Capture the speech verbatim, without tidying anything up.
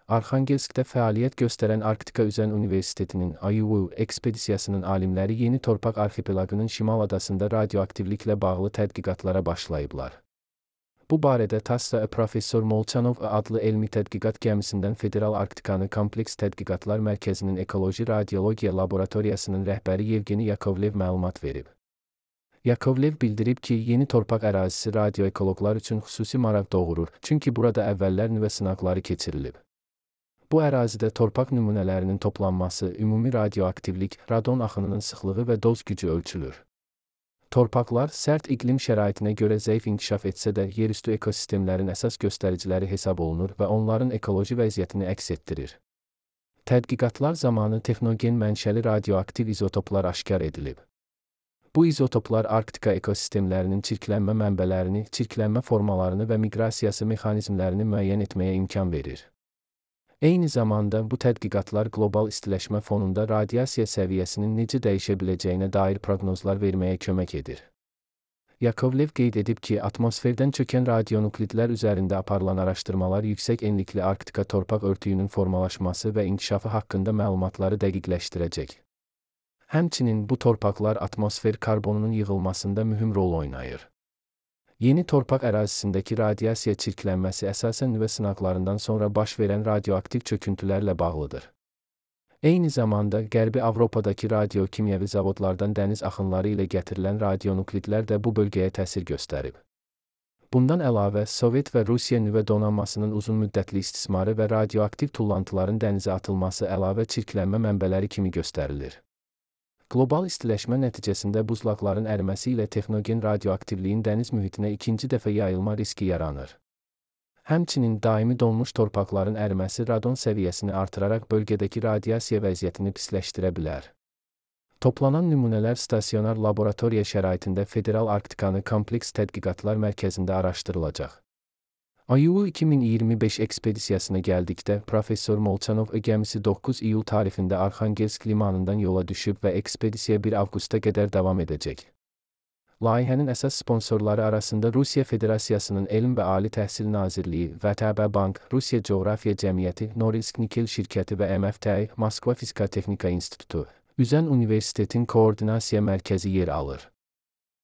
Arxangelskdə fəaliyyət göstərən Arktika Üzən Universitetinin I U U ekspedisiyasının alimləri Yeni Torpaq arxipelaqının şimal adasında radioaktivliklə bağlı tədqiqatlara başlayıblar. Bu barədə TASS-da Professor Molchanov adlı elmi tədqiqat gəmisindən Federal Arktikanı Kompleks Tədqiqatlar Mərkəzinin Ekoloji Radiologiya Laboratoriyasının rəhbəri Yevgeni Yakovlev məlumat verib. Yakovlev bildirib ki, Yeni Torpaq ərazisi radioekoloqlar üçün xüsusi maraq doğurur, çünki burada əvvəllər nüvə sınaqları keçirilib. Bu ərazidə torpaq nümunələrinin toplanması, ümumi radioaktivlik, radon axınının sıxlığı və doz gücü ölçülür. Torpaqlar sərt iqlim şəraitinə görə zəif inkişaf etsə də, yerüstü ekosistemlərin əsas göstəriciləri hesab olunur və onların ekoloji vəziyyətini əks etdirir. Tədqiqatlar zamanı texnogen mənşəli radioaktiv izotoplar aşkar edilib. Bu izotoplar Arktika ekosistemlərinin çirklənmə mənbələrini, çirklənmə formalarını və miqrasiyası mexanizmlərini müəyyən etməyə imkan verir. Eyni zamanda bu tədqiqatlar qlobal istiləşmə fonunda radiasiya səviyyəsinin necə dəyişə biləcəyinə dair proqnozlar verməyə kömək edir. Yakovlev qeyd edib ki, atmosferdən çökən radionuklidlər üzərində aparılan araşdırmalar yüksək enlikli Arktika torpaq örtüyünün formalaşması və inkişafı haqqında məlumatları dəqiqləşdirəcək. Həmçinin bu torpaqlar atmosfer karbonunun yığılmasında mühüm rol oynayır. Yeni torpaq ərazisindəki radiasiya çirklənməsi əsasən nüvə sınaqlarından sonra baş verən radioaktiv çöküntülərlə bağlıdır. Eyni zamanda, Qərbi Avropadakı radiokimyəvi zavodlardan dəniz axınları ilə gətirilən radionuklidlər də bu bölgəyə təsir göstərib. Bundan əlavə, Sovet və Rusiya nüvə donanmasının uzun müddətli istismarı və radioaktiv tullantıların dənizə atılması əlavə çirklənmə mənbələri kimi göstərilir. Qlobal istiləşmə nəticəsində buzlaqların əriməsi ilə texnogen radioaktivliyin dəniz mühitinə ikinci dəfə yayılma riski yaranır. Həmçinin daimi donmuş torpaqların əriməsi radon səviyyəsini artıraraq bölgədəki radiasiya vəziyyətini pisləşdirə bilər. Toplanan nümunələr stasionar laboratoriya şəraitində Federal Arktikanı Kompleks Tədqiqatlar Mərkəzində araşdırılacaq. I U U iki min iyirmi beş ekspedisiyasına gəldikdə, Professor Molchanov gəmisi doqquz iyul tarixində Arxangelsk limanından yola düşüb və ekspedisiya bir avqusta qədər davam edəcək. Layihənin əsas sponsorları arasında Rusiya Federasiyasının Elm və Ali Təhsil Nazirliyi, V T B Bank, Rusiya Coğrafiya Cəmiyyəti, Norilsk Nikel şirkəti və M F T I, Moskva Fizika Texnika İnstitutu, Üzən Universitetin Koordinasiya Mərkəzi yer alır.